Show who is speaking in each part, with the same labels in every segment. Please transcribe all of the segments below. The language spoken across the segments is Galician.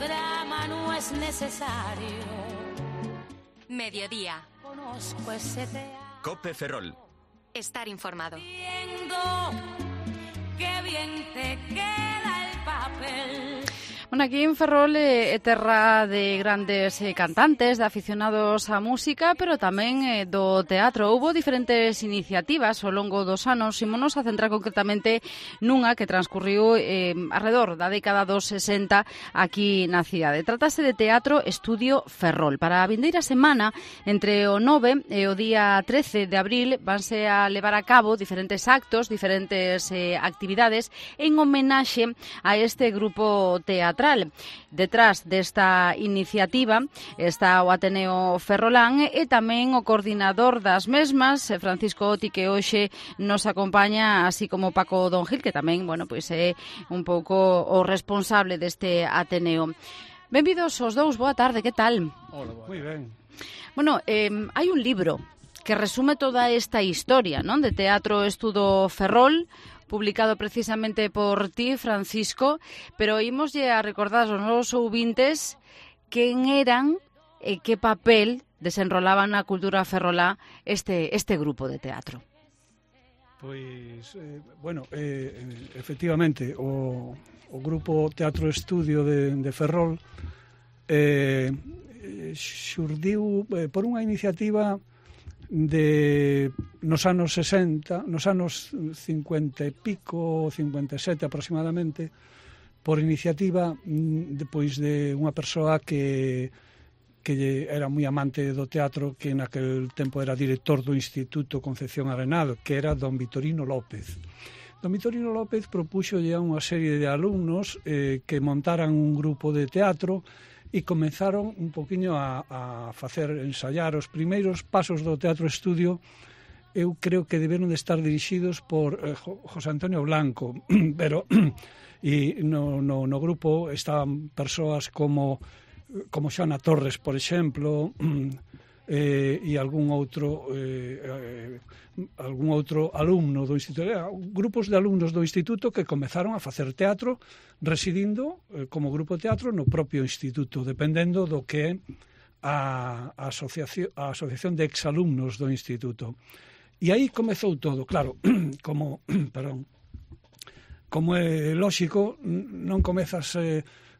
Speaker 1: drama no es necesario.
Speaker 2: Mediodía.
Speaker 1: Conozco ese teatro.
Speaker 3: Cope Ferrol.
Speaker 2: Estar informado.
Speaker 1: Viendo qué bien te queda el papel.
Speaker 4: Bueno, aquí en Ferrol é terra de grandes cantantes, de aficionados á música, pero tamén do teatro. Houbo diferentes iniciativas ao longo dos anos. Ímonos a centrar concretamente nunha que transcurriu alrededor da década dos 60 aquí na cidade. Trátase de Teatro Estudio Ferrol. Para a vindeira semana, entre o 9 e o día 13 de abril, vanse a levar a cabo diferentes actos, diferentes actividades en homenaxe a este grupo teatral. Detrás desta iniciativa está o Ateneo Ferrolán e tamén o coordinador das mesmas, Francisco Oti, que hoxe nos acompaña, así como Paco Don Gil, que tamén, bueno, pois é un pouco o responsable deste Ateneo. Benvidos os dous, boa tarde, que tal?
Speaker 5: Hola, moi ben.
Speaker 4: Bueno, hai un libro que resume toda esta historia, non, de Teatro Estudio Ferrol, publicado precisamente por ti, Francisco, pero ímoslle a recordar aos nosos ouvintes quen eran e que papel desenrolaban na cultura ferrolá este grupo de teatro.
Speaker 5: Pois, efectivamente, o grupo Teatro Estudio de Ferrol xurdiu por unha iniciativa nos anos 60, nos anos 50 e pico, 57 aproximadamente, por iniciativa depois de unha persoa que era moi amante do teatro, que naquel tempo era director do Instituto Concepción Arenal, que era don Vitorino López. Don Vitorino López propúxolle a unha serie de alumnos que montaran un grupo de teatro e comenzaron un poquinho a facer ensayar os primeiros pasos do Teatro Estudio. Eu creo que deberon de estar dirixidos por José Antonio Blanco, pero e no grupo estaban persoas como Xoana Torres, por exemplo, e algún outro alumno do instituto, grupos de alumnos do instituto que comezaron a facer teatro residindo como grupo de teatro no propio instituto, dependendo do que é a asociación de exalumnos do instituto. E aí comezou todo, claro, como é lóxico, non comezas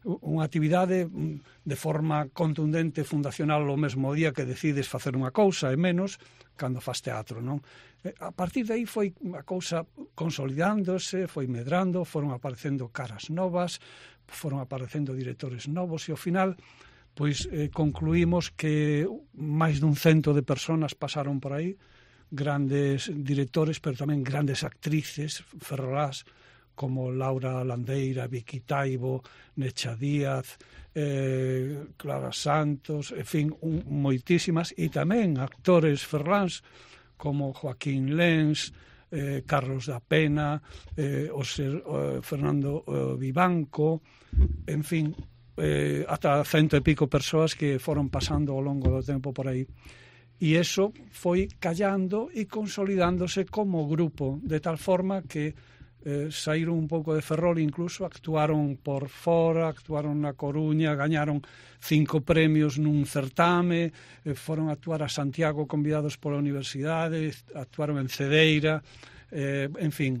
Speaker 5: unha actividade de forma contundente, fundacional, o mesmo día que decides facer unha cousa, e menos cando faz teatro, non? A partir de aí foi a cousa consolidándose, foi medrando, foron aparecendo caras novas, foron aparecendo directores novos, e ao final pois concluímos que máis dun 100 de personas pasaron por aí, grandes directores, pero tamén grandes actrices ferrolás, como Laura Landeira, Vicky Taibo, Necha Díaz, Clara Santos, en fin, moitísimas, e tamén actores ferroláns como Joaquín Lens, Carlos da Pena, Fernando Vivanco, en fin, ata 100 e pico persoas que foron pasando ao longo do tempo por aí. E iso foi callando e consolidándose como grupo, de tal forma que saíron un pouco de Ferrol, incluso actuaron por fora, actuaron na Coruña, gañaron 5 premios nun certame, foron a actuar a Santiago convidados pola universidade, actuaron en Cedeira, en fin,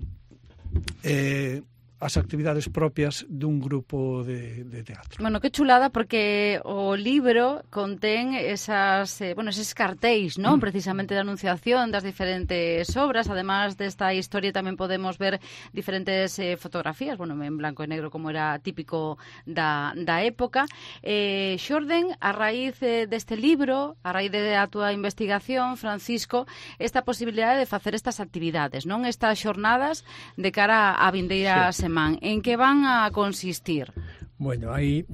Speaker 5: as actividades propias dun grupo de teatro.
Speaker 4: Bueno, que chulada, porque o libro contén eses cartéis, non? Precisamente de anunciación das diferentes obras. Además desta historia tamén podemos ver diferentes fotografías, bueno, en blanco e negro, como era típico da época. Xorden, a raíz deste libro, a raíz da túa investigación, Francisco, esta posibilidade de facer estas actividades, non? Estas xornadas de cara á vindeira semana. En que van a consistir?
Speaker 6: Bueno, aí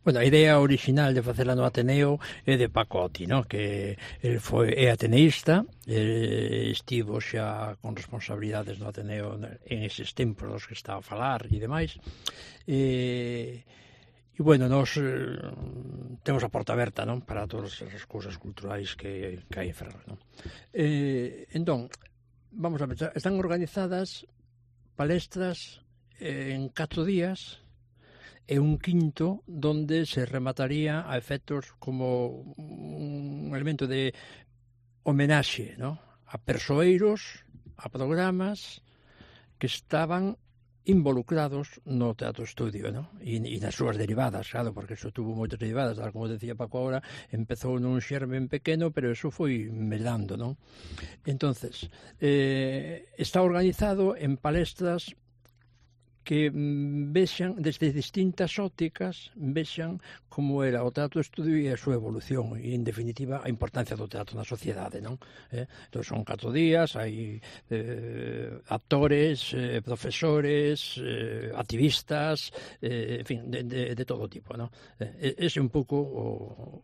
Speaker 6: a idea original de facela no Ateneo é de Paco Oti, ¿no? Que el é ateneísta, estivo xa con responsabilidades no Ateneo en eses tempos dos que está a falar e demais. E bueno, nos temos a porta aberta, non? Para todas as cousas culturais que hai en Ferrol, non? Entón, vamos a ver, están organizadas palestras en 4 días e un quinto donde se remataría a efectos como un elemento de homenaxe, ¿no?, a persoeiros, a programas que estaban involucrados no teatro estudio, ¿no? E nas súas derivadas, claro, porque eso tuvo moitas derivadas, tal como decía Paco agora, empezou nun xermen pequeno, pero eso foi medando, ¿no? Entonces, está organizado en palestras que vexan, desde distintas ópticas, vexan como era o teatro estudio e a súa evolución, e, en definitiva, a importancia do teatro na sociedade, non? Entón, son 4 días, hai actores, profesores, activistas, en fin, de todo tipo, non? Ese é un pouco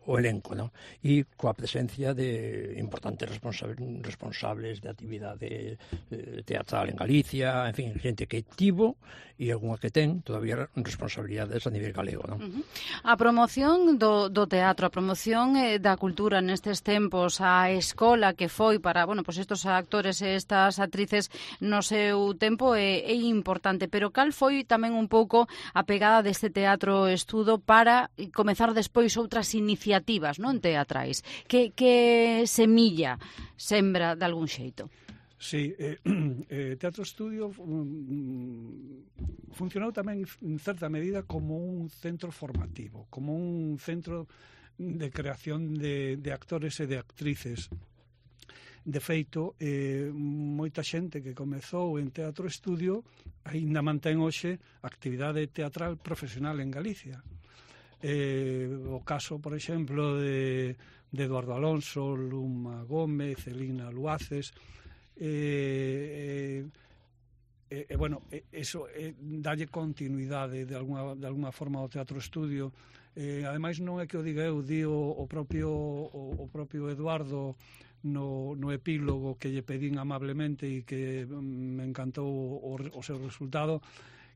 Speaker 6: o elenco, non? E coa presencia de importantes responsables de actividade teatral en Galicia, en fin, xente que tivo e algunha que ten todavía responsabilidades a nivel galego, non?
Speaker 4: A promoción do teatro, a promoción da cultura nestes tempos, a escola que foi para, bueno, pois estos actores e estas actrices no seu tempo é importante, pero cal foi tamén un pouco a pegada deste teatro estudo para comezar despois outras iniciativas, non, teatrais? Que semilla sembra de algún xeito?
Speaker 5: Sí, Teatro Estudio funcionou tamén en certa medida como un centro formativo, como un centro de creación de actores e de actrices. De feito, moita xente que comezou en Teatro Estudio aínda mantén hoxe actividade teatral profesional en Galicia. O caso, por exemplo, de Eduardo Alonso, Luma Gómez, Celina Luaces. Bueno, eso dalle continuidade de alguna forma ao Teatro Estudio. Ademais, non é que o diga eu, di o propio Eduardo no epílogo que lle pedín amablemente e que me encantou o seu resultado,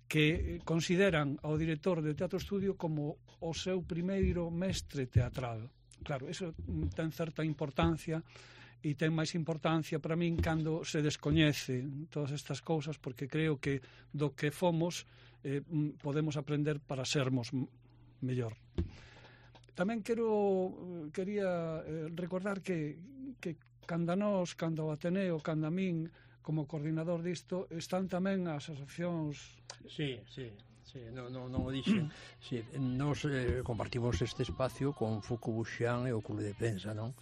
Speaker 5: que consideran ao director de Teatro Estudio como o seu primeiro mestre teatral. Claro, eso ten certa importancia, e ten máis importancia para min cando se descoñece todas estas cousas, porque creo que do que fomos podemos aprender para sermos mellor. Tamén quería recordar que cando o Ateneo, cando a min, como coordinador disto, están tamén as asociacións...
Speaker 6: Sí, non o dixen. Sí, nos compartimos este espacio con Foucault Buxian e o Club de Prensa, non?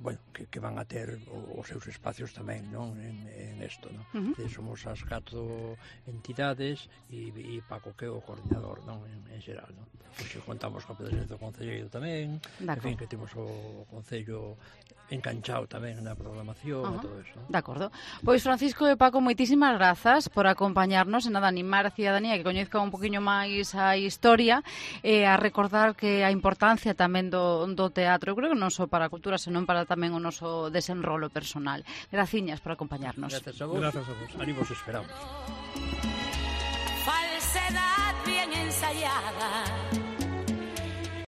Speaker 6: Bueno, que van a ter os seus espacios tamén, non? En isto, non? Somos as 4 entidades e Paco que é o coordinador, non? En xeral, non? Pois contamos con a presencia do Concelleiro tamén, en fin, que temos o Concello enganchado tamén na programación e todo eso.
Speaker 4: De acordo. Pois Francisco e Paco, moitísimas grazas por acompañarnos e nada, animar a cidadanía que coñezca un poquinho máis a historia e a recordar que a importancia tamén do teatro, eu creo que non só para a cultura, senón para tamén o noso desenrolo personal. Graciñas por acompañarnos.
Speaker 6: Gracias a vos. Ali vos esperamos.
Speaker 1: Falsedad bien ensayada.